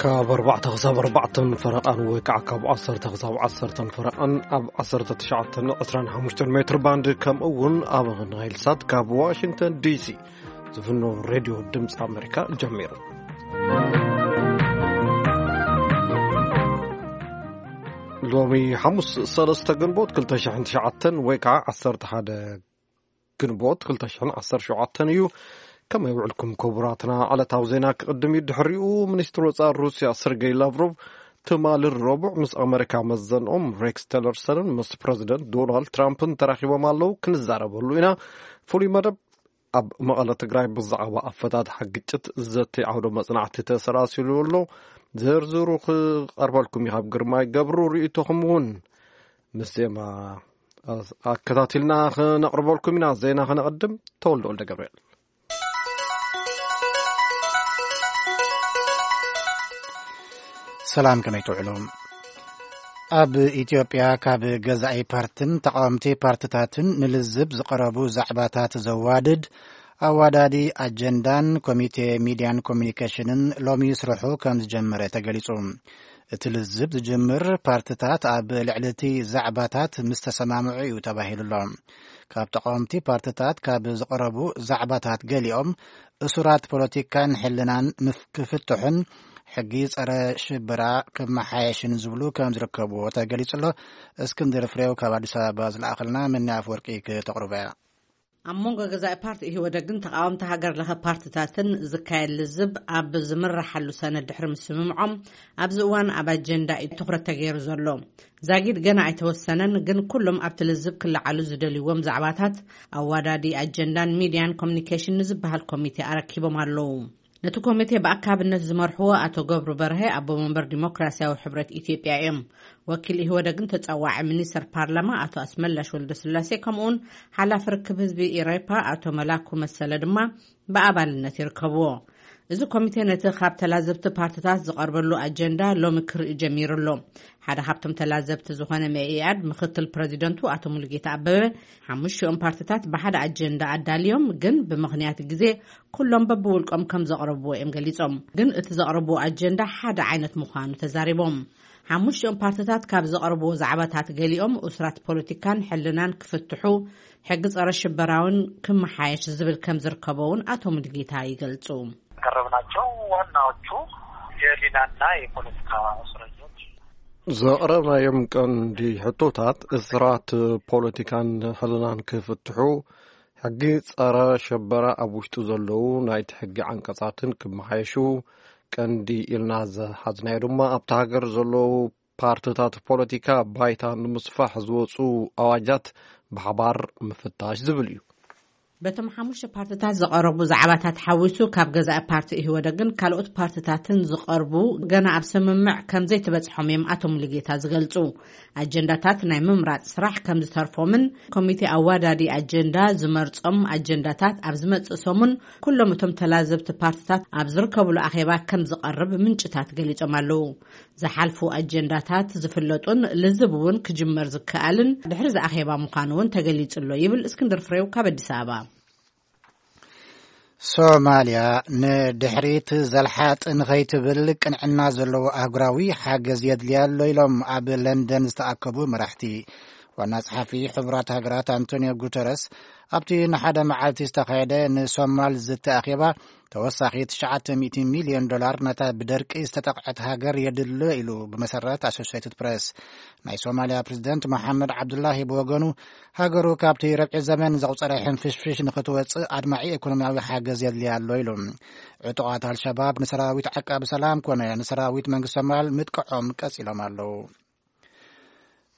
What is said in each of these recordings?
ካብ ኣርባዕተ ክሳብ ኣርባዕተን ፈረቓን ወይ ከዓ ካብ ዓሰርተ ክሳብ ዓሰርተን ፈረቓን ኣብ ዓሰርተ ትሽዓተን ዕስራን ሓሙሽተን ሜትር ባንድ፣ ከምኡ እውን ኣብ ናይል ሳት ካብ ዋሽንግተን ዲሲ ዝፍኖ ሬድዮ ድምፂ ኣሜሪካ ጀሚሩ። ሎሚ ሓሙስ ሰለስተ ግንቦት ክልተ ሽሕን ትሽዓተን ወይ ከዓ ዓሰርተ ሓደ ግንቦት ክልተ ሽሕን ዓሰርተ ሸውዓተን እዩ። ከመይ ውዕልኩም ክቡራትና? ዕለታዊ ዜና ክቕድም እዩ። ድሕሪኡ ሚኒስትር ወፃኢ ሩስያ ሰርጌይ ላቭሮቭ ትማሊ ረቡዕ ምስ ኣመሪካ መዘንኦም ሬክስ ቴለርሰንን ምስ ፕረዚደንት ዶናልድ ትራምፕን ተራኺቦም ኣለዉ። ክንዛረበሉ ኢና። ፍሉይ መደብ ኣብ መቐለ ትግራይ ብዛዕባ ኣፈታትሓ ግጭት ዘተይ ዓውደ መጽናዕቲ ተሰላሲሉ ኣሎ። ዝርዝሩ ክቐርበልኩም እዩ። ካብ ግርማይ ገብሩ ርእይቶኹም እውን ምስ ዜማ ኣከታቲልና ክነቕርበልኩም ኢና። ዜና ክነቕድም። ተወልደ ወልደ ገብርኤል። ሰላም፣ ከመይ ትውዕሉ? ኣብ ኢትዮጵያ ካብ ገዛኢ ፓርትን ተቃወምቲ ፓርትታትን ንልዝብ ዝቐረቡ ዛዕባታት ዘዋድድ ኣዋዳዲ ኣጀንዳን ኮሚቴ ሚድያን ኮሚኒኬሽንን ሎሚ ስርሑ ከም ዝጀመረ ተገሊጹ። እቲ ልዝብ ዝጅምር ፓርትታት ኣብ ልዕሊ እቲ ዛዕባታት ምስ ተሰማምዑ እዩ ተባሂሉ ኣሎ። ካብ ተቃወምቲ ፓርትታት ካብ ዝቐረቡ ዛዕባታት ገሊኦም እሱራት ፖለቲካን ሕልናን ምፍ-፣ ክፍትሑን ሕጊ ጸረ ሽበራ ክመሓየሽን ዝብሉ ከም ዝርከብዎ ተገሊጹ ኣሎ። እስክንድር ፍሬው ካብ ኣዲስ ኣበባ ዝለኣኸልና መኒ ኣፈወርቂ ክተቕርቦ እያ። ኣብ መንጎ ገዛኢ ፓርቲ ኢህወደግን ተቃወምቲ ሃገር ለኸ ፓርትታትን ዝካየድ ልዝብ ኣብ ዝምረሓሉ ሰነድ ድሕሪ ምስምምዖም፣ ኣብዚ እዋን ኣብ ኣጀንዳ እዩ ትኹረት ተገይሩ ዘሎ። ዛጊድ ገና ኣይተወሰነን፣ ግን ኩሎም ኣብቲ ልዝብ ክለዓሉ ዝደልይዎም ዛዕባታት ኣዋዳዲ ኣጀንዳን ሚድያን ኮሚኒኬሽን ንዝበሃል ኮሚቴ ኣረኪቦም ኣለዉ። ነቲ ኮሚቴ ብኣካብነት ዝመርሕዎ ኣቶ ገብሩ በርሀ፣ ኣቦ መንበር ዲሞክራሲያዊ ሕብረት ኢትዮጵያ እዮም። ወኪል ኢህወደግን ተጸዋዒ ሚኒስተር ፓርላማ ኣቶ ኣስመላሽ ወልደስላሴ፣ ከምኡውን ሓላፊ ርክብ ህዝቢ ኢሬፓ ኣቶ መላኩ መሰለ ድማ ብኣባልነት ይርከብዎ። እዚ ኮሚቴ ነቲ ካብ ተላዘብቲ ፓርትታት ዝቐርበሉ ኣጀንዳ ሎሚ ክርኢ ጀሚሩ ኣሎ። ሓደ ካብቶም ተላዘብቲ ዝኾነ መኢኣድ ምክትል ፕረዚደንቱ ኣቶ ሙሉጌታ ኣበበ፣ ሓሙሽቲኦም ፓርትታት ብሓደ ኣጀንዳ ኣዳልዮም፣ ግን ብምኽንያት ግዜ ኩሎም በብውልቆም ከም ዘቕረብዎ እዮም ገሊጾም። ግን እቲ ዘቕረብዎ ኣጀንዳ ሓደ ዓይነት ምዃኑ ተዛሪቦም። ሓሙሽቲኦም ፓርትታት ካብ ዘቕረብዎ ዛዕባታት ገሊኦም እሱራት ፖለቲካን ሕልናን ክፍትሑ፣ ሕጊ ጸረ ሽበራውን ክመሓየሽ ዝብል ከም ዝርከቦ እውን ኣቶ ሙሉጌታ ይገልጹ። ያቀረብናቸው ዋናዎቹ የህሊናና የፖለቲካ እስረኞች። ዘቕረብናዮም ቀንዲ ሕቶታት እሱራት ፖለቲካን ሕልናን ክፍትሑ፣ ሕጊ ጸረ ሸበራ ኣብ ውሽጡ ዘለዉ ናይቲ ሕጊ ዓንቀጻትን ክመሓየሹ ቀንዲ ኢልና ዝሓዝናዮ ድማ ኣብታ ሃገር ዘለዉ ፓርትታት ፖለቲካ ባይታ ንምስፋሕ ዝወጹ ኣዋጃት ብሓባር ምፍታሽ ዝብል እዩ። በቶም ሓሙሽተ ፓርትታት ዝቐረቡ ዛዕባታት ሓዊሱ፣ ካብ ገዛኢ ፓርቲ ኢህወደግን ካልኦት ፓርትታትን ዝቐርቡ ገና ኣብ ስምምዕ ከም ዘይተበጽሖም እዮም ኣቶ ሙሉጌታ ዝገልጹ። ኣጀንዳታት ናይ ምምራጽ ስራሕ ከም ዝተርፎምን ኮሚቴ ኣዋዳዲ ኣጀንዳ ዝመርጾም ኣጀንዳታት ኣብ ዝመጽእ ሰሙን ኩሎም እቶም ተላዘብቲ ፓርትታት ኣብ ዝርከብሉ ኣኼባ ከም ዝቐርብ ምንጭታት ገሊጾም ኣለዉ። ዝሓልፉ ኣጀንዳታት ዝፍለጡን ልዝብ እውን ክጅመር ዝከኣልን ድሕሪ ዝኣኼባ ምዃኑ እውን ተገሊጹ ኣሎ ይብል እስክንድር ፍሬው ካብ ኣዲስ ኣበባ። ሶማልያ ንድሕሪት ዘልሓጥ ንኸይትብል ቅንዕና ዘለዎ ኣህጉራዊ ሓገዝ የድልያ ኣሎ ኢሎም ኣብ ለንደን ዝተኣከቡ መራሕቲ። ዋና ጸሓፊ ሕቡራት ሃገራት ኣንቶኒዮ ጉተረስ ኣብቲ ንሓደ መዓልቲ ዝተኻየደ ንሶማል ዝተኣኼባ ተወሳኺ ትሽዓተ ሚእቲ ሚልዮን ዶላር ነታ ብደርቂ ዝተጠቕዐት ሃገር የድሎ ኢሉ ብመሰረት ኣሶሲየትድ ፕረስ። ናይ ሶማልያ ፕሬዝደንት መሓመድ ዓብዱላሂ ብወገኑ ሃገሩ ካብቲ ረብዒ ዘመን ዘቑጸረ ሕንፍሽፍሽ ንኽትወጽእ ኣድማዒ ኢኮኖሚያዊ ሓገዝ የድልያ ኣሎ ኢሉ። ዕጡቓት ኣልሸባብ ንሰራዊት ዓቃቢ ሰላም ኮነ ንሰራዊት መንግስቲ ሶማል ምጥቅዖም ቀጺሎም ኣለዉ።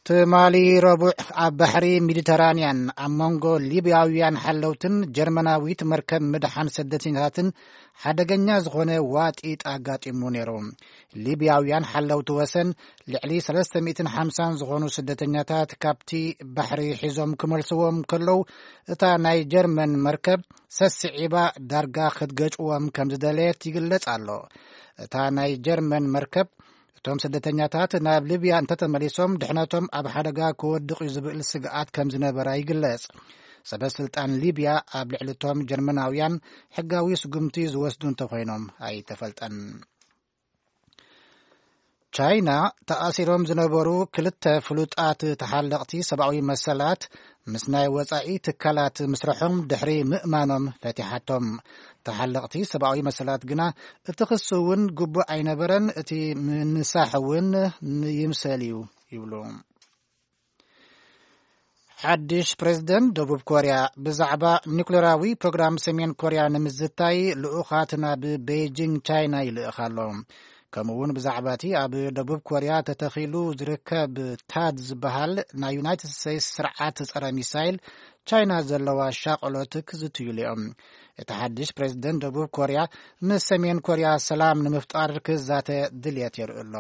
ትማሊ ረቡዕ ኣብ ባሕሪ ሜዲተራንያን ኣብ መንጎ ሊብያውያን ሓለውትን ጀርመናዊት መርከብ ምድሓን ስደተኛታትን ሓደገኛ ዝኾነ ዋጢጥ ኣጋጢሙ ነይሩ። ሊብያውያን ሓለውቲ ወሰን ልዕሊ ሰለስተ ሚእትን ሓምሳን ዝኾኑ ስደተኛታት ካብቲ ባሕሪ ሒዞም ክመልስዎም ከለዉ፣ እታ ናይ ጀርመን መርከብ ሰስዒባ ዳርጋ ክትገጭዎም ከም ዝደለየት ይግለጽ ኣሎ። እታ ናይ ጀርመን መርከብ እቶም ስደተኛታት ናብ ሊብያ እንተተመሊሶም ድሕነቶም ኣብ ሓደጋ ክወድቕ እዩ ዝብል ስግኣት ከም ዝነበራ ይግለጽ። ሰበ ስልጣን ሊብያ ኣብ ልዕሊ እቶም ጀርመናውያን ሕጋዊ ስጉምቲ ዝወስዱ እንተኾይኖም ኣይተፈልጠን። ቻይና ተኣሲሮም ዝነበሩ ክልተ ፍሉጣት ተሓለቕቲ ሰብኣዊ መሰላት ምስ ናይ ወጻኢ ትካላት ምስርሖም ድሕሪ ምእማኖም ፈቲሓቶም። ተሓለቕቲ ሰብኣዊ መሰላት ግና እቲ ክሲ እውን ግቡእ ኣይነበረን፣ እቲ ምንሳሕ እውን ይምሰል እዩ ይብሉ። ሓድሽ ፕሬዝደንት ደቡብ ኮርያ ብዛዕባ ኒኩሌራዊ ፕሮግራም ሰሜን ኮርያ ንምዝታይ ልኡኻት ናብ ቤይጂንግ ቻይና ይልእኽ ኣሎ። ከምኡ እውን ብዛዕባ እቲ ኣብ ደቡብ ኮርያ ተተኺሉ ዝርከብ ታድ ዝበሃል ናይ ዩናይትድ ስቴትስ ስርዓት ጸረ ሚሳይል ቻይና ዘለዋ ሻቕሎት ክዝትዩሉ እዮም። እቲ ሓድሽ ፕሬዝደንት ደቡብ ኮርያ ምስ ሰሜን ኮርያ ሰላም ንምፍጣር ክዛተ ድልየት የርኢ ኣሎ።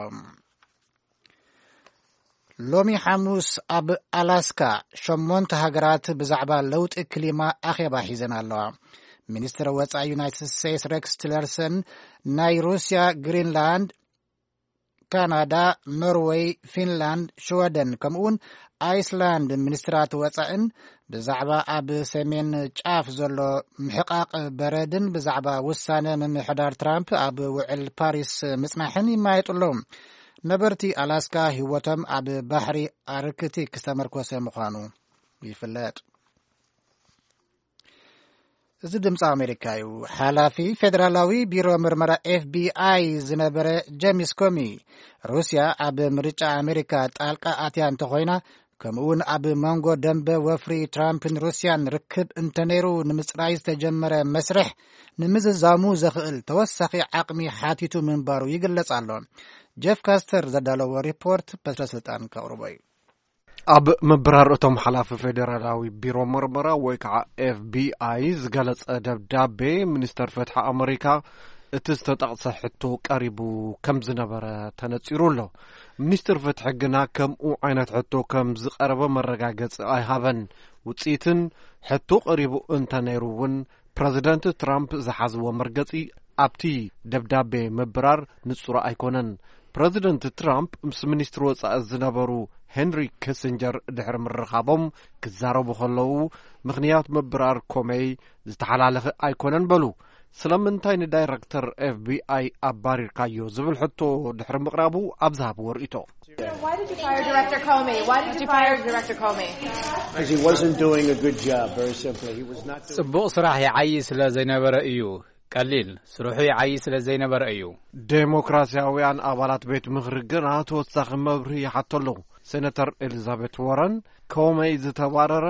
ሎሚ ሓሙስ ኣብ ኣላስካ ሸሞንተ ሃገራት ብዛዕባ ለውጢ ክሊማ ኣኼባ ሒዘን ኣለዋ። ሚኒስትር ወጻኢ ዩናይትድ ስቴትስ ሬክስ ቲለርሰን ናይ ሩስያ፣ ግሪንላንድ፣ ካናዳ፣ ኖርወይ፣ ፊንላንድ፣ ሽወደን ከምኡውን ኣይስላንድ ሚኒስትራት ወጻእን ብዛዕባ ኣብ ሰሜን ጫፍ ዘሎ ምሕቃቕ በረድን ብዛዕባ ውሳነ ምምሕዳር ትራምፕ ኣብ ውዕል ፓሪስ ምጽናሕን ይማየጡ ኣለዉ። ነበርቲ ኣላስካ ህይወቶም ኣብ ባሕሪ ኣርክቲክ ዝተመርኮሰ ምዃኑ ይፍለጥ። እዚ ድምፂ ኣሜሪካ እዩ። ሓላፊ ፌደራላዊ ቢሮ ምርመራ ኤፍቢኣይ ዝነበረ ጀምስ ኮሚ፣ ሩስያ ኣብ ምርጫ ኣሜሪካ ጣልቃ ኣትያ እንተኾይና፣ ከምኡውን ኣብ መንጎ ደንበ ወፍሪ ትራምፕን ሩስያን ርክብ እንተነይሩ ንምፅራይ ዝተጀመረ መስርሕ ንምዝዛሙ ዘኽእል ተወሳኺ ዓቕሚ ሓቲቱ ምንባሩ ይግለጽ ኣሎ። ጀፍ ካስተር ዘዳለዎ ሪፖርት በትረ ስልጣን ከቕርቦ እዩ። ኣብ ምብራር እቶም ሓላፊ ፌደራላዊ ቢሮ መርመራ ወይ ከዓ ኤፍቢኣይ ዝገለጸ ደብዳቤ፣ ሚኒስተር ፍትሒ ኣመሪካ እቲ ዝተጠቕሰ ሕቶ ቀሪቡ ከም ዝነበረ ተነጺሩ ኣሎ። ሚኒስትር ፍትሒ ግና ከምኡ ዓይነት ሕቶ ከም ዝቐረበ መረጋገጺ ኣይሃበን። ውጽኢትን ሕቶ ቀሪቡ እንተነይሩ እውን ፕረዚደንት ትራምፕ ዝሓዝዎ መርገጺ ኣብቲ ደብዳቤ ምብራር ንጹር ኣይኮነን። ፕረዚደንት ትራምፕ ምስ ሚኒስትሪ ወጻኢ ዝነበሩ ሄንሪ ኪሲንጀር ድሕሪ ምርኻቦም ክዛረቡ ከለዉ፣ ምኽንያት ምብራር ኮመይ ዝተሓላለኸ ኣይኮነን በሉ። ስለምንታይ ንዳይረክተር ኤፍቢኣይ ኣባሪርካዮ ዝብል ሕቶ ድሕሪ ምቕራቡ ኣብ ዝሃብዎ ርእይቶ። Why did you fire Director Comey? Why did you fire Director Comey? Because he wasn't doing a good job, very simply. He was not doing ጽቡቕ ስራሕ ይዓዪ ስለ ዘይነበረ እዩ። ቀሊል ስርሑ ይዓዪ ስለ ዘይነበረ እዩ። ዴሞክራሲያውያን ኣባላት ቤት ምኽሪ ግና ተወሳኺ መብርሂ ይሓቱ ኣለዉ። ሴነተር ኤሊዛቤት ዎረን፣ ኮመይ ዝተባረረ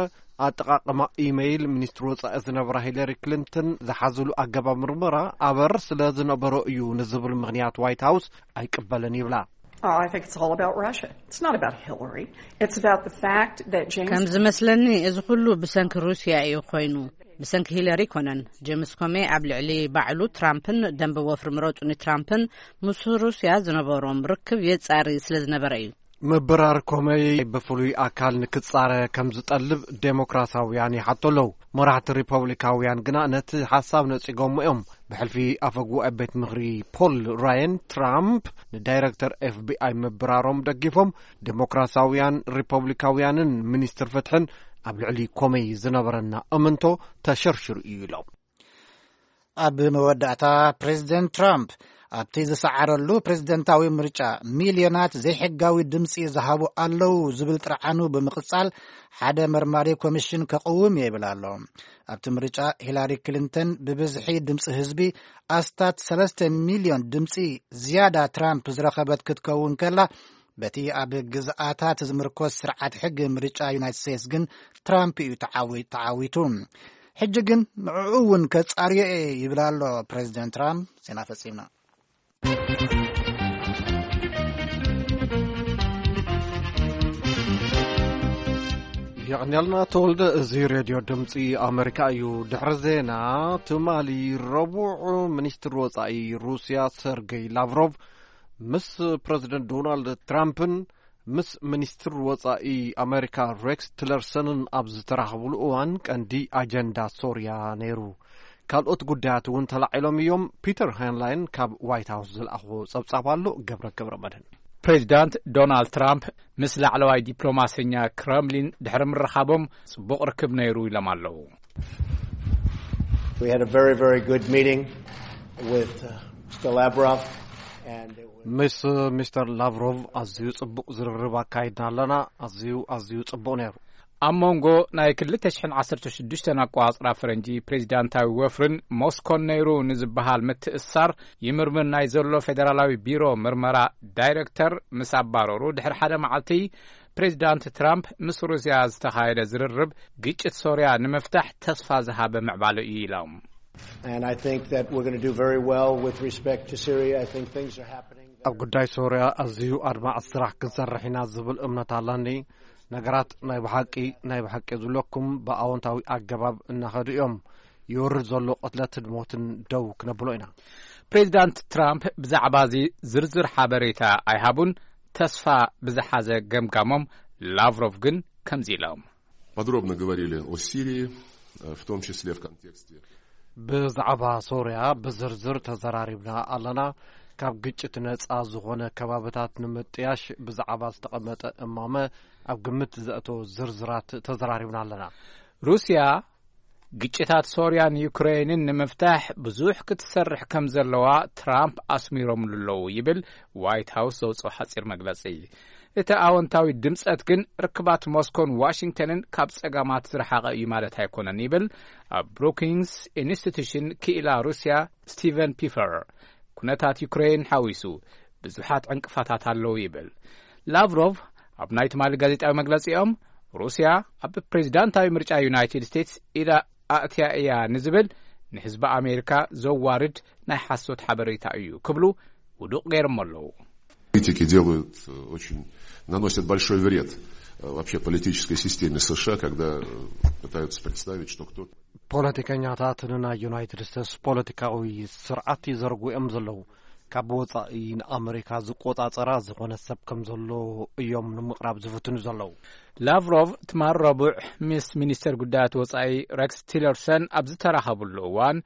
ኣጠቓቕማ ኢመይል ሚኒስትሪ ወጻኢ ዝነበራ ሂለሪ ክሊንተን ዝሓዝሉ ኣገባብ ምርመራ ኣበር ስለ ዝነበሮ እዩ ንዝብል ምኽንያት ዋይት ሃውስ ኣይቅበልን ይብላ። Oh, I think it's all about Russia. It's not about Hillary. It's about the fact that James ከም ዝመስለኒ እዚ ኩሉ ብሰንኪ ሩስያ እዩ ኮይኑ፣ ብሰንኪ ሂለሪ ኣይኮነን። ጀምስ ኮሜ ኣብ ልዕሊ ባዕሉ ትራምፕን ደንበ ወፍሪ ምረጹኒ ትራምፕን ምስ ሩስያ ዝነበሮም ርክብ የጻሪ ስለ ዝነበረ እዩ። ምብራር ኮመይ ብፍሉይ ኣካል ንክጻረ ከም ዝጠልብ ዴሞክራሲያውያን ይሓቶ ኣለዉ። መራሕቲ ሪፐብሊካውያን ግና ነቲ ሓሳብ ነጺጎሞ እዮም። ብሕልፊ ኣፈ ጉባኤ ቤት ምኽሪ ፖል ራየን፣ ትራምፕ ንዳይረክተር ኤፍቢኣይ ምብራሮም ደጊፎም፣ ዴሞክራሲያውያን፣ ሪፐብሊካውያንን ሚኒስትር ፍትሕን ኣብ ልዕሊ ኮመይ ዝነበረና እምንቶ ተሸርሽሩ እዩ ኢሎም። ኣብ መወዳእታ ፕሬዝደንት ትራምፕ ኣብቲ ዝሰዓረሉ ፕሬዝደንታዊ ምርጫ ሚልዮናት ዘይሕጋዊ ድምፂ ዝሃቡ ኣለዉ ዝብል ጥርዓኑ ብምቕጻል፣ ሓደ መርማሪ ኮሚሽን ከቕውም እየ ይብል ኣሎ። ኣብቲ ምርጫ ሂላሪ ክሊንተን ብብዝሒ ድምፂ ህዝቢ ኣስታት ሰለስተ ሚልዮን ድምፂ ዝያዳ ትራምፕ ዝረኸበት ክትከውን ከላ፣ በቲ ኣብ ግዝኣታት ዝምርኮስ ስርዓት ሕጊ ምርጫ ዩናይትድ ስቴትስ ግን ትራምፕ እዩ ተዓዊ- ተዓዊቱ። ሕጂ ግን ንዕኡ እውን ከጻርዮ እየ ይብል ኣሎ ፕሬዚደንት ትራምፕ። ዜና ፈጺምና። የቐንያልና ተወልደ። እዚ ሬድዮ ድምፂ ኣመሪካ እዩ። ድሕሪ ዜና፣ ትማሊ ረቡዕ ሚኒስትር ወፃኢ ሩስያ ሰርገይ ላቭሮቭ ምስ ፕረዚደንት ዶናልድ ትራምፕን ምስ ሚኒስትር ወፃኢ ኣመሪካ ሬክስ ቲለርሰንን ኣብ ዝተራኸብሉ እዋን ቀንዲ ኣጀንዳ ሶርያ ነይሩ። ካልኦት ጉዳያት እውን ተላዒሎም እዮም። ፒተር ሃይንላይን ካብ ዋይት ሃውስ ዝለኣኽዎ ጸብጻብ ኣሎ። ገብረ ገብረ መድህን። ፕሬዚዳንት ዶናልድ ትራምፕ ምስ ላዕለዋይ ዲፕሎማሰኛ ክረምሊን ድሕሪ ምርኻቦም ጽቡቕ ርክብ ነይሩ ኢሎም ኣለዉ። We had a very, very good meeting with uh, Mister Lavrov. ምስ ሚስተር ላቭሮቭ ኣዝዩ ጽቡቕ ዝርርብ ኣካይድና ኣለና። ኣዝዩ ኣዝዩ ጽቡቕ ነይሩ። ኣብ መንጎ ናይ ክልተ ሽሕን ዓሰርተ ሽዱሽተን ኣቆጻጽራ ፈረንጂ ፕሬዚዳንታዊ ወፍርን ሞስኮን ነይሩ ንዝበሃል ምትእስሳር ይምርምር ናይ ዘሎ ፌደራላዊ ቢሮ ምርመራ ዳይሬክተር ምስ ኣባረሩ ድሕሪ ሓደ መዓልቲ፣ ፕሬዚዳንት ትራምፕ ምስ ሩስያ ዝተኻየደ ዝርርብ ግጭት ሶርያ ንምፍታሕ ተስፋ ዝሃበ ምዕባለ እዩ ኢሎም። And I think that we're going to do very well with respect to Syria. I think things are happening that ኣብ ጉዳይ ሶርያ ኣዝዩ ኣድማዒ ስራሕ ክንሰርሕ ኢና ዝብል እምነት ኣለኒ። ነገራት ናይ ብሓቂ ናይ ብሓቂ ዝብለኩም ብኣወንታዊ ኣገባብ እናኸዱ እዮም። ይወርድ ዘሎ ቅትለትን ሞትን ደው ክነብሎ ኢና። ፕሬዚዳንት ትራምፕ ብዛዕባ እዚ ዝርዝር ሓበሬታ ኣይሃቡን። ተስፋ ብዝሓዘ ገምጋሞም ላቭሮቭ ግን ከምዚ ኢሎም። Подробно говорили о Сирии, э, в том числе в контексте ብዛዕባ ሶርያ ብዝርዝር ተዘራሪብና ኣለና። ካብ ግጭት ነጻ ዝኾነ ከባብታት ንምጥያሽ ብዛዕባ ዝተቐመጠ እማመ ኣብ ግምት ዘእተወ ዝርዝራት ተዘራሪብና ኣለና። ሩስያ ግጭታት ሶርያን ዩክሬንን ንምፍታሕ ብዙሕ ክትሰርሕ ከም ዘለዋ ትራምፕ ኣስሚሮምሉ ኣለዉ ይብል ዋይት ሃውስ ዘውፅኦ ሓፂር መግለፂ። እቲ ኣወንታዊ ድምፀት ግን ርክባት ሞስኮን ዋሽንግተንን ካብ ጸጋማት ዝረሓቐ እዩ ማለት ኣይኮነን ይብል ኣብ ብሩኪንግስ ኢንስቲቱሽን ክኢላ ሩስያ ስቲቨን ፒፈር። ኩነታት ዩክሬን ሓዊሱ ብዙሓት ዕንቅፋታት ኣለዉ ይብል። ላቭሮቭ ኣብ ናይ ትማሊ ጋዜጣዊ መግለጺኦም ሩስያ ኣብ ፕሬዚዳንታዊ ምርጫ ዩናይትድ ስቴትስ ኢዳ ኣእትያ እያ ንዝብል ንህዝቢ ኣሜሪካ ዘዋርድ ናይ ሓሶት ሓበሬታ እዩ ክብሉ ውዱቕ ገይሮም ኣለዉ። Политики делают э, очень, наносят большой вред э, вообще политической системе США, когда э, пытаются представить, что кто-то ፖለቲከኛታት ንናይ ዩናይትድ ስቴትስ ፖለቲካዊ ስርዓት ይዘርጉ እዮም ዘለዉ። ካብ ወጻኢ ንኣመሪካ ዝቆጻጸራ ዝኾነ ሰብ ከም ዘሎ እዮም ንምቕራብ ዝፍትኑ ዘለዉ። ላቭሮቭ ትማል ረቡዕ ምስ ሚኒስተር ጉዳያት ወጻኢ ሬክስ ቲለርሰን ኣብ ዝተራኸብሉ እዋን፣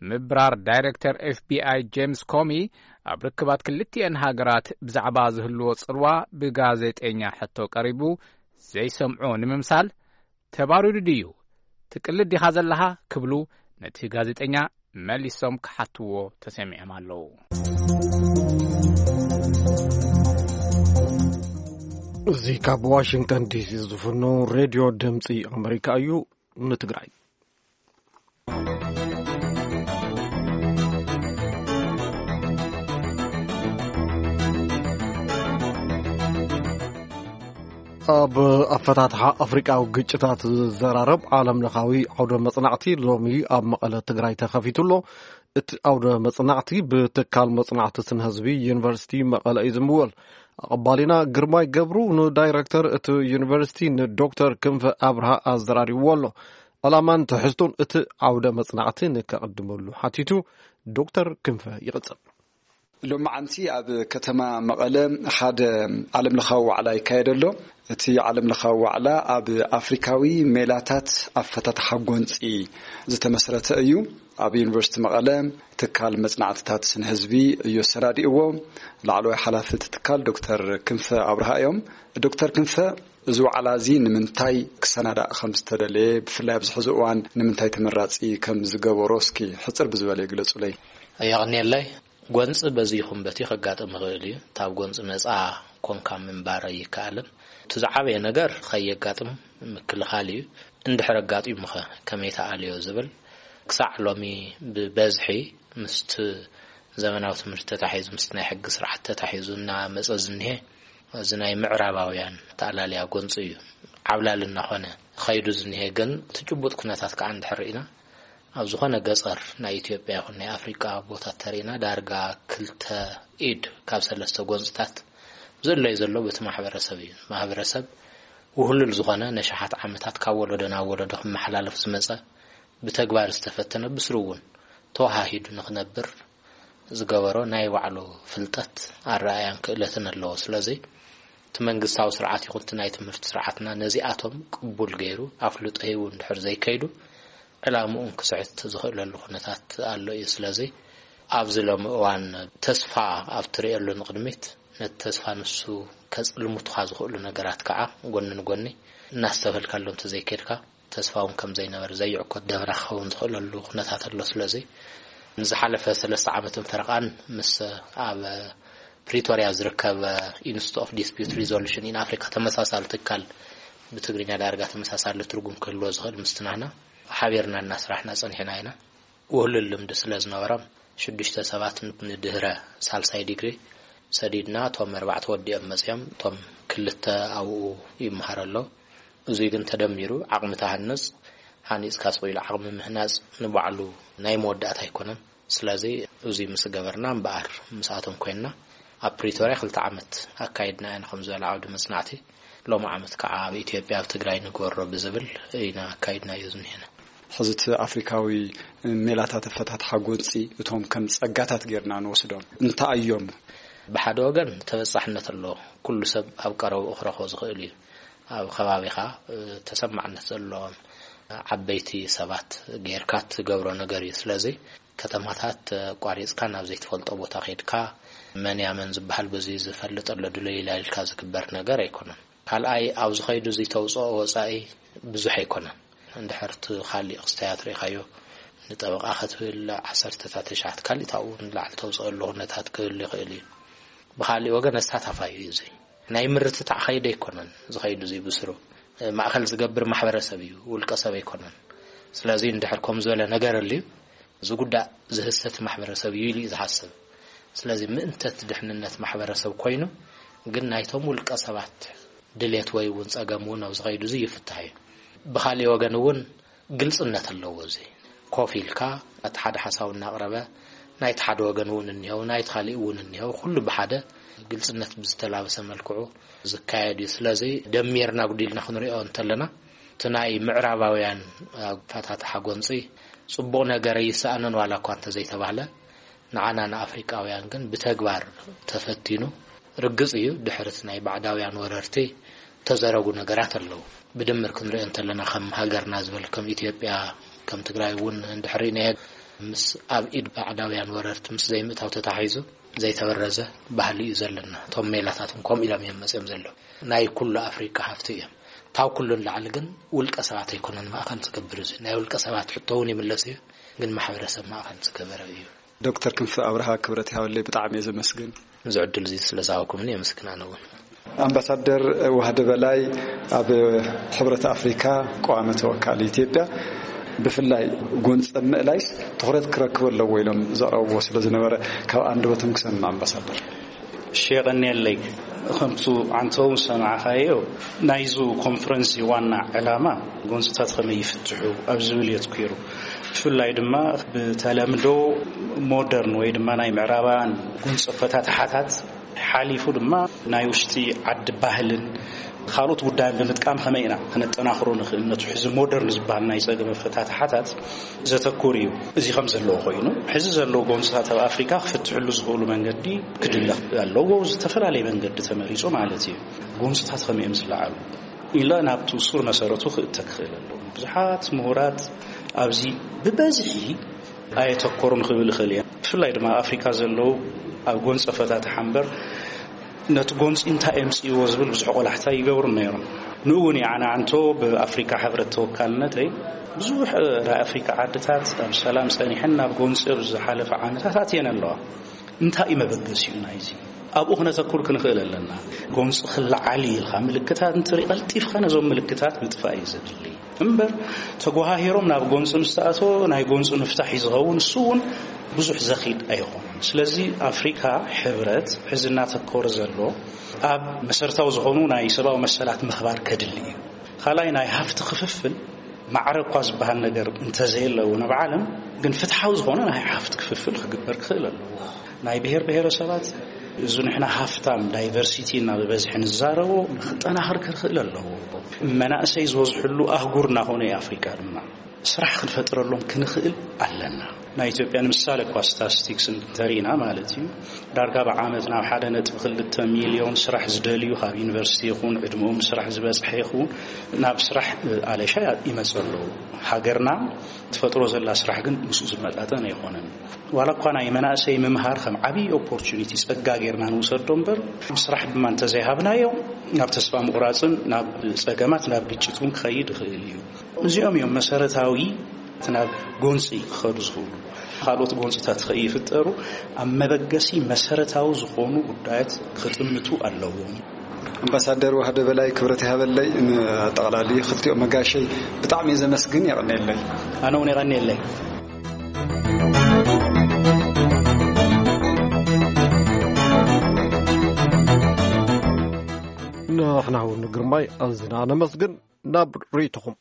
ምብራር ዳይሬክተር ኤፍቢኣይ ጄምስ ኮሚ ኣብ ርክባት ክልቲኤን ሃገራት ብዛዕባ ዝህልዎ ጽልዋ ብጋዜጠኛ ሕቶ ቀሪቡ፣ ዘይሰምዖ ንምምሳል፣ "ተባሪሩ ድዩ? ትቅልድ ዲኻ ዘለኻ?" ክብሉ ነቲ ጋዜጠኛ መሊሶም ክሓትዎ ተሰሚዖም ኣለዉ። እዚ ካብ ዋሽንግተን ዲሲ ዝፍኖ ሬድዮ ድምፂ ኣመሪካ እዩ። ንትግራይ ኣብ ኣፈታትሓ ኣፍሪቃዊ ግጭታት ዝዘራረብ ዓለም ለኻዊ ዓውደ መጽናዕቲ ሎሚ ኣብ መቐለ ትግራይ ተኸፊቱ ኣሎ። እቲ ዓውደ መጽናዕቲ ብትካል መጽናዕቲ ስነ ህዝቢ ዩኒቨርሲቲ መቐለ እዩ ዝምወል። ኣቐባሊና ግርማይ ገብሩ ንዳይረክተር እቲ ዩኒቨርሲቲ ንዶክተር ክንፈ ኣብርሃ ኣዘራሪብዎ ኣሎ። ዕላማን ትሕዝቶን እቲ ዓውደ መጽናዕቲ ንከቐድመሉ ሓቲቱ ዶክተር ክንፈ ይቕጽል። ሎማዓንቲ ኣብ ከተማ መቐለ ሓደ ዓለም ለኻዊ ዋዕላ ይካየድ ኣሎ። እቲ ዓለም ለኻዊ ዋዕላ ኣብ ኣፍሪካዊ ሜላታት ኣፈታትሓ ጎንፂ ዝተመስረተ እዩ። ኣብ ዩኒቨርሲቲ መቐለ ትካል መፅናዕትታት ስነ ህዝቢ እዩ ኣሰናዲእዎ። ላዕለዋይ ሓላፊ እቲ ትካል ዶክተር ክንፈ ኣብርሃ እዮም። ዶክተር ክንፈ፣ እዚ ዋዕላ እዚ ንምንታይ ክሰናዳእ ከም ዝተደለየ፣ ብፍላይ ኣብዚ ሕዚ እዋን ንምንታይ ተመራፂ ከም ዝገበሮ እስኪ ሕፅር ብዝበለ ይግለፁለይ። የቐንየለይ። ጎንፂ በዚ ይኹን በቲ ከጋጥም ይኽእል እዩ። እታ ኣብ ጎንፂ ነፃ ኮንካ ምንባር ኣይከኣልን። እቲ ዝዓበየ ነገር ከየጋጥም ምክልኻል እዩ። እንድሕር ኣጋጢሙኸ ከመይ ተኣልዮ ዝብል ክሳዕ ሎሚ ብበዝሒ ምስቲ ዘመናዊ ትምህርቲ ተታሒዙ፣ ምስቲ ናይ ሕጊ ስርዓት ተታሒዙ እናመፀ ዝኒሀ እዚ ናይ ምዕራባውያን ተኣላልያ ጎንፂ እዩ። ዓብላል እናኾነ ኸይዱ ዝኒሀ ግን እቲ ጭቡጥ ኩነታት ከዓ እንድሕር ርኢና ኣብ ዝኾነ ገጸር ናይ ኢትዮጵያ ይኹን ናይ ኣፍሪቃ ቦታት ተሪእና ዳርጋ ክልተ ኢድ ካብ ሰለስተ ጎንፅታት ዝእለይ ዘሎ በቲ ማሕበረሰብ እዩ። ማሕበረሰብ ውህሉል ዝኾነ ነሽሓት ዓመታት ካብ ወለዶ ናብ ወለዶ ክመሓላለፍ ዝመጸ ብተግባር ዝተፈተነ ብስሩ እውን ተወሃሂዱ ንኽነብር ዝገበሮ ናይ ባዕሉ ፍልጠት ኣረኣያን ክእለትን ኣለዎ። ስለዚ እቲ መንግስታዊ ስርዓት ይኹን እቲ ናይ ትምህርቲ ስርዓትና ነዚኣቶም ቅቡል ገይሩ ኣፍልጦ ሂቡ እንድሕር ዘይከይዱ ዕላምኡን ክስዕት ዝኽእለሉ ኩነታት ኣሎ እዩ። ስለዚ ኣብዚ ሎሚ እዋን ተስፋ ኣብ ትርእየሉ ንቕድሚት ነቲ ተስፋ ንሱ ከጽልሙትኻ ዝኽእሉ ነገራት ከዓ ጎኒ ንጎኒ እናስተብህልካሎም ተዘይከድካ ተስፋ እውን ከም ዘይነበረ ዘይዕኮት ደብራ ክኸውን ዝኽእለሉ ኩነታት ኣሎ። ስለዚ ንዝሓለፈ ሰለስተ ዓመትን ፈረቓን ምስ ኣብ ፕሪቶርያ ዝርከብ ኢንስቲትዩት ኦፍ ዲስፒዩት ሪዞሉሽን ኢን ኣፍሪካ ተመሳሳሊ ትካል፣ ብትግርኛ ዳርጋ ተመሳሳሊ ትርጉም ክህልዎ ዝኽእል፣ ምስትናና ሓቢርና እናስራሕና ጸኒሕና ኢና። ውህሉል ልምዲ ስለ ዝነበሮም ሽዱሽተ ሰባት ንድህረ ሳልሳይ ዲግሪ ሰዲድና፣ እቶም ኣርባዕተ ወዲኦም መጺኦም፣ እቶም ክልተ ኣብኡ ይመሃሩ ኣለዉ። እዙይ ግን ተደሚሩ ዓቕሚ ተሃንጽ፣ ሃኒጽካ ስቕ ኢሉ ዓቕሚ ምህናጽ ንባዕሉ ናይ መወዳእታ ኣይኮነን። ስለዚ እዙይ ምስ ገበርና እምበኣር ምስኣቶም ኮይንና ኣብ ፕሪቶርያ ክልተ ዓመት ኣካይድና ኢና። ከም ዝበለ ዓውዲ መጽናዕቲ ሎም ዓመት ከዓ ኣብ ኢትዮጵያ ኣብ ትግራይ ንግበሮ ብዝብል ኢና ኣካይድናዮ ዝኒሄና። ሕዚ እቲ ኣፍሪካዊ ሜላታት ኣፈታትሓ ጎንፂ እቶም ከም ጸጋታት ጌርና ንወስዶም እንታይ እዮም? ብሓደ ወገን ተበጻሕነት ኣለዎ። ኩሉ ሰብ ኣብ ቀረብኡ ክረኽቦ ዝኽእል እዩ። ኣብ ከባቢኻ ተሰማዕነት ዘለዎም ዓበይቲ ሰባት ጌርካ ትገብሮ ነገር እዩ። ስለዚ ከተማታት ኣቋሪጽካ ናብ ዘይትፈልጦ ቦታ ከይድካ መን ያመን ዝበሃል በዚ ዝፈልጥ ኣሎ ድለይላ ኢልካ ዝግበር ነገር ኣይኮነን። ካልኣይ፣ ኣብ ዝኸይዱ እዚ ተውፅኦ ወፃኢ ብዙሕ ኣይኮነን። እንድሕር እቲ ካሊእ ክስተያት ርኢኻዮ፣ ንጠበቃ ክትብል ዓሰርተታት ተሽዓት ካሊእ ታብኡ ንላዕሊ ተውፅኦ ኣሎ ኩነታት ክህሉ ይኽእል እዩ። ብካሊእ ወገን ኣሳታፋይ እዩ። እዚ ናይ ምርትታዕ ኸይዲ ኣይኮነን። ዝኸይዱ እዚ ብስሩ ማእኸል ዝገብር ማሕበረሰብ እዩ፣ ውልቀ ሰብ ኣይኮነን። ስለዚ እንድሕር ከም ዝበለ ነገር ኣልዩ ዝጉዳእ ዝህሰት ማሕበረሰብ እዩ ኢሉ እዩ ዝሓስብ። ስለዚ ምእንተት ድሕንነት ማሕበረሰብ ኮይኑ ግን ናይቶም ውልቀ ሰባት ድሌት ወይ እውን ጸገም እውን ኣብ ዝኸይዱ እዚ ይፍታሕ እዩ። ብኻሊእ ወገን እውን ግልጽነት ኣለዎ። እዚ ኮፍ ኢልካ እቲ ሓደ ሓሳብ እናቕረበ ናይቲ ሓደ ወገን እውን እኒሄው ናይቲ ካሊእ እውን እኒሄው ኩሉ ብሓደ ግልጽነት ብዝተላበሰ መልክዑ ዝካየድ እዩ። ስለዚ ደሚርና ጉዲልና ክንሪኦ እንተለና እቲ ናይ ምዕራባውያን ኣፈታትሓ ጎንፂ ጽቡቕ ነገር ኣይሰኣንን ዋላ እኳ እንተዘይተባህለ ንዓና ንኣፍሪቃውያን ግን ብተግባር ተፈቲኑ ርግጽ እዩ። ድሕሪ እቲ ናይ ባዕዳውያን ወረርቲ ተዘረጉ ነገራት ኣለዉ። ብድምር ክንሪኦ እንተለና ከም ሃገርና ዝበል ከም ኢትዮጵያ ከም ትግራይ እውን እንድሕር ርኢናዮ ምስ ኣብ ኢድ ባዕዳውያን ወረርቲ ምስ ዘይምእታው ተታሒዙ ዘይተበረዘ ባህሊ እዩ ዘለና። እቶም ሜላታት እውን ከምኡ ኢሎም እዮም መፅኦም ዘለዉ። ናይ ኩሉ ኣፍሪቃ ሃፍቲ እዮም። ካብ ኩሉ ንላዕሊ ግን ውልቀ ሰባት ኣይኮነን ማእኸል ዝገብር። እዚ ናይ ውልቀ ሰባት ሕቶ እውን ይምለስ እዩ፣ ግን ማሕበረሰብ ማእኸል ዝገበረ እዩ። ዶክተር ክንፈ ኣብርሃ ክብረት ይሃበለይ፣ ብጣዕሚ እየ ዘመስግን። እዚ ዕድል እዚ ስለ ዝሃብኩምኒ የመስግን ኣነ እውን። ኣምባሳደር ዋህደ በላይ ኣብ ሕብረት ኣፍሪካ ቀዋሚ ተወካሊ ኢትዮጵያ ብፍላይ ጎንፂ ኣብ ምእላይስ ትኹረት ክረክብ ኣለዎ ኢሎም ዘቕረብዎ ስለ ዝነበረ ካብ ኣንደበቶም ክሰምዕ ኣምባሳደር። እሺ፣ የቐንየለይ። ከምቱ ዓንተው ዝሰማዕኻዮ ናይዙ ኮንፈረንስ ዋና ዕላማ ጎንፅታት ከመይ ይፍትሑ ኣብ ዝብል የትኩሩ። ብፍላይ ድማ ብተለምዶ ሞደርን ወይ ድማ ናይ ምዕራባውያን ጎንፂ ኣፈታትሓታት ሓሊፉ ድማ ናይ ውሽጢ ዓዲ ባህልን ካልኦት ጉዳይን ብምጥቃም ከመይ ኢና ክነጠናኽሮ ንኽእል ነቱ ሕዚ ሞደርን ዝበሃል ናይ ጸገም ኣፈታትሓታት ዘተኩር እዩ። እዚ ከም ዘለዎ ኮይኑ ሕዚ ዘለዉ ጎንፅታት ኣብ ኣፍሪካ ክፍትሕሉ ዝኽእሉ መንገዲ ክድለ ኣለዎ። ዝተፈላለየ መንገዲ ተመሪፁ ማለት እዩ። ጎንፅታት ከመይ እዮም ዝለዓሉ ኢለ ናብቲ ሱር መሰረቱ ክእተ ክኽእል ኣለዎ። ብዙሓት ምሁራት ኣብዚ ብበዝሒ ኣየተኮሩን ክብል ይኽእል እየ። ብፍላይ ድማ ኣብ ኣፍሪካ ዘለዉ ኣብ ጎንፂ ኣፈታትሓ እምበር ነቲ ጎንፂ እንታይ የምፅእዎ ዝብል ብዙሕ ቆላሕታ ይገብሩ ነይሮም። ንኡ እውን የዓናዕንቶ ብኣፍሪካ ሕብረት ተወካልነተይ ብዙሕ ናይ ኣፍሪካ ዓድታት ኣብ ሰላም ፀኒሐን ናብ ጎንፂ ኣብ ዝሓለፈ ዓመታት ኣትየን ኣለዋ። እንታይ እዩ መበገሲኡ ናይዚ? ኣብኡ ክነተኩር ክንኽእል ኣለና። ጎንፂ ክለዓል ኢልካ ምልክታት እንትርኢ ቀልጢፍካ ነዞም ምልክታት ምጥፋእ እዩ ዘድሊ። እምበር ተጓሃሂሮም ናብ ጎንፂ ምስ ተኣተወ ናይ ጎንፂ ምፍታሕ እዩ ዝኸውን። እሱ እውን ብዙሕ ዘኺድ ኣይኾነን። ስለዚ ኣፍሪካ ሕብረት ሕዚ እናተኮረ ዘሎ ኣብ መሰረታዊ ዝኾኑ ናይ ሰብኣዊ መሰላት ምኽባር ከድሊ እዩ። ካልኣይ ናይ ሃፍቲ ክፍፍል ማዕረ እኳ ዝበሃል ነገር እንተዘየለ እውን ኣብ ዓለም ግን ፍትሓዊ ዝኾነ ናይ ሃፍቲ ክፍፍል ክግበር ክኽእል ኣለዎ። ናይ ብሔር ብሔረሰባት እዚ ንሕና ሃፍታም ዳይቨርሲቲ እና ብበዝሒ ንዛረቦ ክጠናኸር ክኽእል ኣለዎ። መናእሰይ ዝበዝሕሉ ኣህጉር እናኾነ እዩ ኣፍሪካ ድማ ስራሕ ክንፈጥረሎም ክንኽእል ኣለና። ናይ ኢትዮጵያ ንምሳሌ እኳ ስታስቲክስ እንተሪእና ማለት እዩ ዳርጋ ብዓመት ናብ ሓደ ነጥቢ ክልተ ሚልዮን ስራሕ ዝደልዩ ካብ ዩኒቨርሲቲ ይኹን ዕድመኦም ስራሕ ዝበፅሐ ይኹን ናብ ስራሕ ኣለሻ ይመፁ ኣለዉ። ሃገርና ትፈጥሮ ዘላ ስራሕ ግን ምስኡ ዝመጣጠን ኣይኮነን። ዋላ እኳ ናይ መናእሰይ ምምሃር ከም ዓብዪ ኦፖርቹኒቲ ጸጋ ጌርና ንውሰዶ እምበር ስራሕ ድማ እንተዘይሃብናዮ ናብ ተስፋ ምቑራፅን ናብ ጸገማት ናብ ግጭት እውን ክኸይድ ይኽእል እዩ። እዚኦም እዮም መሰረታዊ እቲ ናብ ጎንፂ ክኸዱ ዝኽእሉ። ካልኦት ጎንፅታት ከይፍጠሩ ኣብ መበገሲ መሰረታዊ ዝኾኑ ጉዳያት ክጥምቱ ኣለዎም። ኣምባሳደር ዋህደ በላይ፣ ክብረት ይሃበለይ። ንኣጠቓላሊ ክልቲኦም መጋሸይ ብጣዕሚ እየ ዘመስግን። የቐንየለይ። ኣነ እውን የቐንየለይ። ንሕና እውን ግርማይ ኣዝና ነመስግን። ናብ ርእይቶኹም።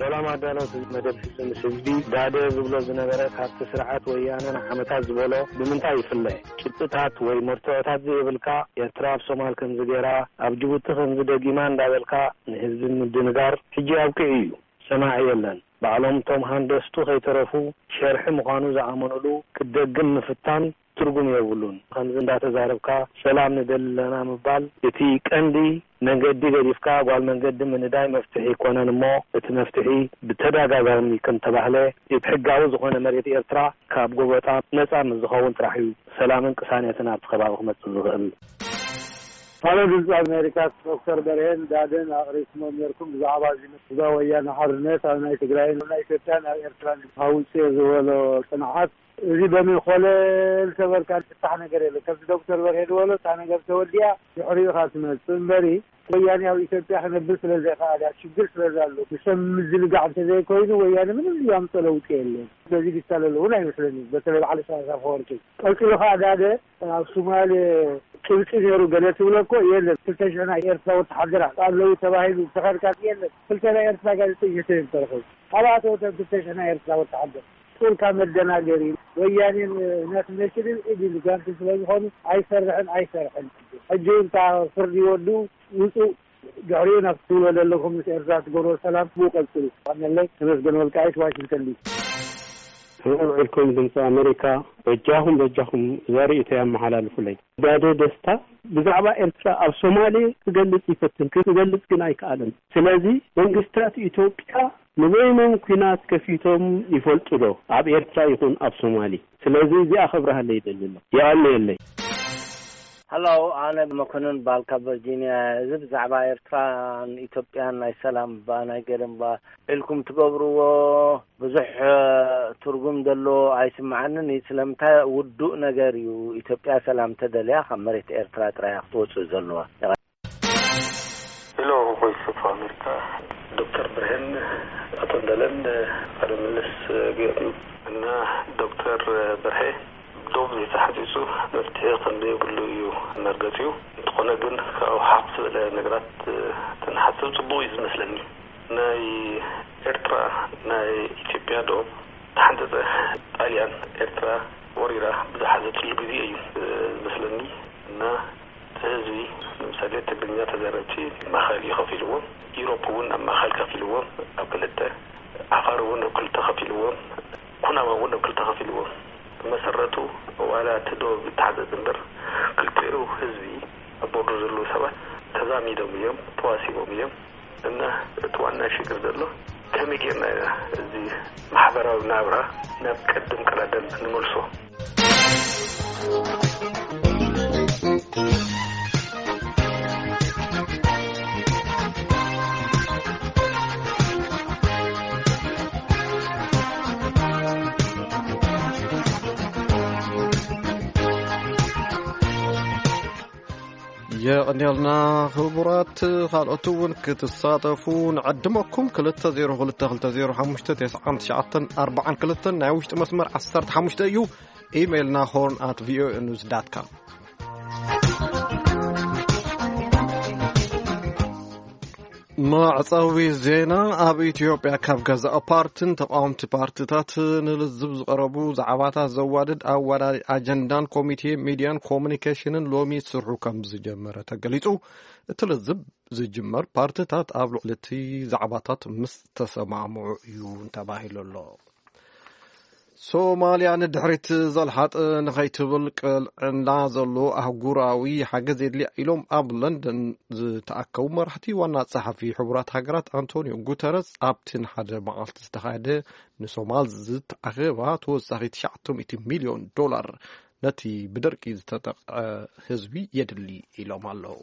ሰላም ኣዳለውቲ መደብ ፍጹም ምስ ህዝቢ። ዳደ ዝብሎ ዝነበረ፣ ካብቲ ስርዓት ወያነ ንዓመታት ዝበሎ ብምንታይ ይፍለ? ጭብጥታት ወይ መርትዖታት ዘይብልካ፣ ኤርትራ ኣብ ሶማል ከምዚ ገይራ፣ ኣብ ጅቡቲ ከምዚ ደጊማ እንዳበልካ ንህዝቢ ምድንጋር ሕጂ ኣብቂዑ እዩ። ሰማዒ የለን። ባዕሎም እቶም ሃንደስቱ ከይተረፉ ሸርሒ ምዃኑ ዝኣመኑሉ ክትደግም ምፍታን ትርጉም የብሉን። ከምዚ እንዳተዛረብካ ሰላም ንደሊ ኣለና ምባል እቲ ቀንዲ መንገዲ ገዲፍካ ጓል መንገዲ ምንዳይ መፍትሒ ኣይኮነን እሞ እቲ መፍትሒ ብተደጋጋሚ ከም ተባህለ እቲ ሕጋዊ ዝኾነ መሬት ኤርትራ ካብ ጎበጣ ነጻ ምስ ዝኸውን ጥራሕ እዩ ሰላምን ቅሳነትን ኣብቲ ከባቢ ክመጽእ ዝኽእል። ሃሎ ድምፂ ኣሜሪካ፣ ዶክተር በርሄን ዳደን ኣቕሪብኩሞ ነርኩም ብዛዕባ እዚ ህዝባዊ ወያነ ሓርነት ኣብ ናይ ትግራይን ኣብ ናይ ኢትዮጵያን ኣብ ኤርትራን ካብ ውፅእ ዝበሎ ፅንዓት፣ እዚ በመን ኮለል ተበልካ ዝፍታሕ ነገር የለ። ከምዚ ዶክተር በርሄ ዝበሎ እታ ነገር ተወዲኣ ድሕሪኡ ኢኻ ትመፅእ እምበሪ፣ ወያኔ ኣብ ኢትዮጵያ ክነብር ስለ ዘይከኣለ፣ ሽግር ስለ ዘሎ፣ ንሰብ ምዝንጋዕ እንተዘይኮይኑ ወያኔ ምንም ዝያምፀ ለውጢ የለን። ስለዚ ዝታለል እውን ኣይመስለኒ፣ በተለይ በዓል ኢሳያስ ኣፈወርቂ። ቀፂሉ ከዓ ዳደ ኣብ ሶማሌ ጭብጢ ነይሩ ገለ ትብሎ እኮ የለን። ክልተ ሽሕ ናይ ኤርትራ ወተሓደራት ኣለዉ ተባሂሉ ተኸድካ የለን። ክልተ ናይ ኤርትራ ጋዜጠኛ ተይም ተረኸቡ። ካብኣተወ እተን ክልተ ሽሕ ናይ ኤርትራ ወተሓደር ጡልካ መደናገሪ ወያኔን ናሽናል ኢድ ኢሉ ጓንቲ ስለ ዝኾኑ ኣይሰርሕን ኣይሰርሕን። ሕጂ እውን እታ ፍርዲ ወዱ ውፁእ ድሕሪኡ ናብ ትብሎ ዘለኹም ምስ ኤርትራ ትገብሮ ሰላም ብኡ ቀጽሉ። ቀነለይ ተመስገን ወልቃይት ዋሽንግተን ዲሲ። ውዕልኩም ድምፂ ኣሜሪካ በጃኹም በጃኹም እዛ ርእይቶ ኣመሓላልፉለይ። ጋደ ደስታ ብዛዕባ ኤርትራ ኣብ ሶማሌ ክገልጽ ይፈትን ክገልጽ ግን ኣይከኣለን። ስለዚ መንግስታት ኢትዮጵያ ንበይኖም ኲናት ከፊቶም ይፈልጡ ዶ ኣብ ኤርትራ ይኹን ኣብ ሶማሌ? ስለዚ እዚኣ ከብርሃለይ ይደሊ ኣሎ። የቐንየለይ። ሀሎ፣ ኣነ መኮንን ባልካ ቨርጂኒያ። እዚ ብዛዕባ ኤርትራን ኢትዮጵያን ናይ ሰላም እባ ናይ ገለ እባ ኢልኩም ትገብርዎ ብዙሕ ትርጉም ዘለዎ ኣይስምዓንን እዩ። ስለምንታይ ውዱእ ነገር እዩ። ኢትዮጵያ ሰላም ተደልያ ካብ መሬት ኤርትራ ጥራይ እያ ክትወፅእ ዘለዋ። ሄሎ ቮይስ ኦፍ ኣሜሪካ፣ ዶክተር ብርሄን ኣቶ እንዳለን ቃለ ምልልስ ገይሩ እና ዶክተር በርሄ ዶብ ዘይተሓፂፁ መፍትሒ ከም ዘይብሉ እዩ መርገፂኡ። እንተኾነ ግን ካብኡ ሓፍ ዝበለ ነገራት ተንሓስብ ፅቡቕ እዩ ዝመስለኒ። ናይ ኤርትራ ናይ ኢትዮጵያ ዶብ ተሓንፀፀ። ጣልያን ኤርትራ ወሪራ ብዝሓዘትሉ ግዜ እዩ ዝመስለኒ እና እቲ ህዝቢ ንምሳሌ ትግርኛ ተዛረብቲ ማእኸል እዩ ከፊልዎም፣ ኢሮፕ እውን ኣብ ማእኸል ከፊልዎም ኣብ ክልተ፣ ዓፋር እውን ኣብ ክልተ ከፊልዎም፣ ኩናማ እውን ኣብ ክልተ ከፊልዎም። ብመሰረቱ ዋላ እቲ ዶብ ይተሓዘዝ እምበር ክልቲኡ ህዝቢ ኣብ ቦርደር ዘለዉ ሰባት ተዛሚዶም እዮም፣ ተዋሲቦም እዮም። እና እቲ ዋና ሽግር ዘሎ ከመይ ጌርና ኢና እዚ ማሕበራዊ ናብራ ናብ ቀደም ቀዳደም ንመልሶ። የቐንየልና ክቡራት። ካልኦት እውን ክትሳተፉ ንዕድመኩም። ክልተ ዜሮ ክልተ ክልተ ዜሮ ሓሙሽተ ተስዓን ትሽዓተን ኣርባዓን ክልተን ናይ ውሽጢ መስመር ዓሰርተ ሓሙሽተ እዩ። ኢሜይልና ሆርን ኣት ቪኦኤ ኒውስ ዳት ካም። መዕጸዊ ዜና። ኣብ ኢትዮጵያ ካብ ገዛእ ፓርትን ተቃወምቲ ፓርትታት ንልዝብ ዝቐረቡ ዛዕባታት ዘዋድድ ኣዋዳዲ ኣጀንዳን ኮሚቴ ሚድያን ኮሙኒኬሽንን ሎሚ ስርሑ ከም ዝጀመረ ተገሊጹ። እቲ ልዝብ ዝጅመር ፓርትታት ኣብ ልዕሊ እቲ ዛዕባታት ምስ ተሰማምዑ እዩ ተባሂሉ ኣሎ። ሶማልያ ንድሕሪት ዘልሓጥ ንኸይትብል ቅልዕና ዘሎ ኣህጉራዊ ሓገዝ የድልያ ኢሎም ኣብ ለንደን ዝተኣከቡ መራሕቲ። ዋና ጸሓፊ ሕቡራት ሃገራት ኣንቶኒዮ ጉተረስ ኣብቲ ንሓደ መዓልቲ ዝተኻየደ ንሶማል ዝተኣኸባ ተወሳኺ ትሽዓተ ሚእቲ ሚልዮን ዶላር ነቲ ብደርቂ ዝተጠቕዐ ህዝቢ የድሊ ኢሎም ኣለዉ።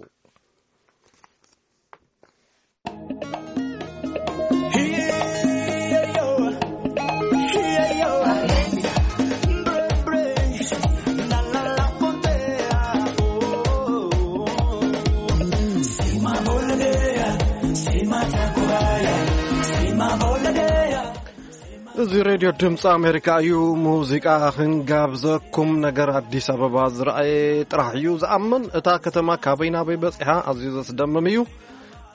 እዚ ሬድዮ ድምፂ ኣሜሪካ እዩ። ሙዚቃ ክንጋብዘኩም። ነገር ኣዲስ ኣበባ ዝረኣየ ጥራሕ እዩ ዝኣምን። እታ ከተማ ካበይ ናበይ በፂሓ ኣዝዩ ዘስደምም እዩ።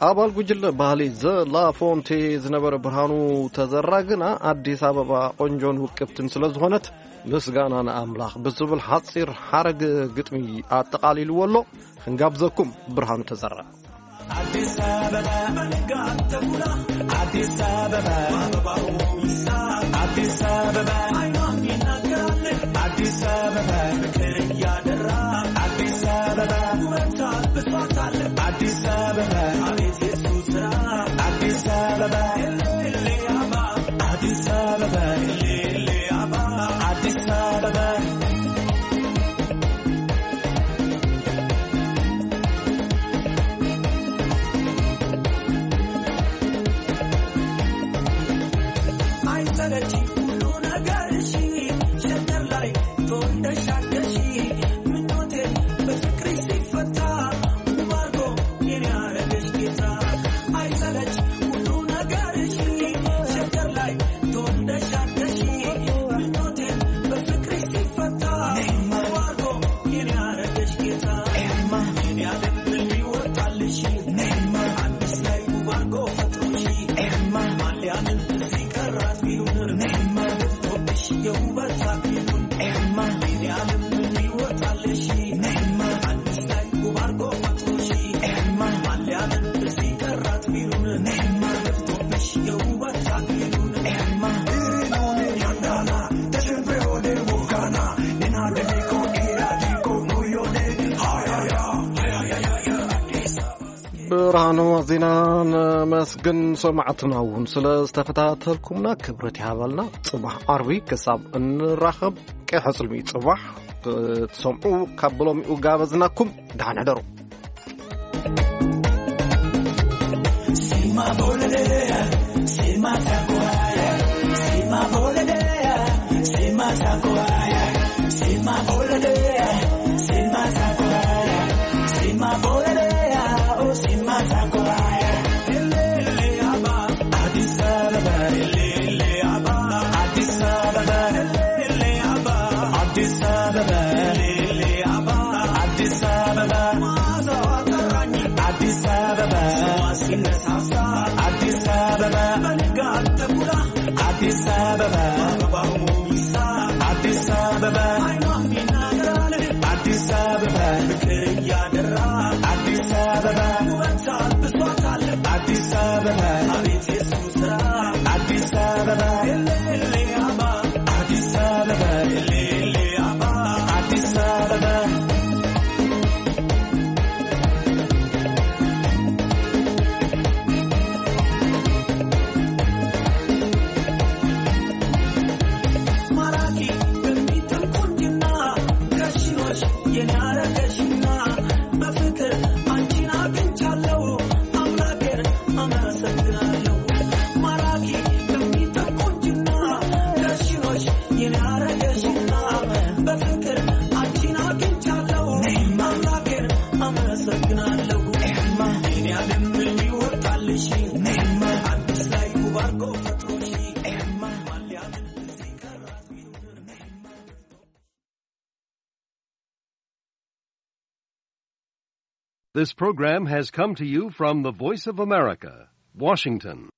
ኣባል ጉጅለ ባህሊ ዘ ላፎንቴ ዝነበረ ብርሃኑ ተዘራ ግና፣ ኣዲስ ኣበባ ቆንጆን ውቅብትን ስለ ዝኾነት፣ ምስጋና ንኣምላኽ ብዝብል ሓፂር ሓረግ ግጥሚ ኣጠቓሊልዎ ኣሎ። ክንጋብዘኩም ብርሃኑ ተዘራ። ኣዲስ ኣበባ፣ ኣዲስ ኣበባ፣ ኣዲስ ኣበባ፣ ኣዲስ ኣበባ፣ ኣዲስ ኣበባ፣ ኣዲስ ኣበባ፣ ኣዲስ ኣበባ፣ ኣዲስ ኣበባ። ብርሃኑ ዜና ነመስግን። ሰማዕትና እውን ስለ ዝተኸታተልኩምና ክብረት ይሃበልና። ጽባሕ ዓርቢ ክሳብ እንራኸብ ቀይ ሕጽልሚ ጽባሕ ክትሰምዑ ካብ ብሎሚኡ ጋበዝናኩም። ደሓን ሕደሩ። This program has come to you from the Voice of America, Washington.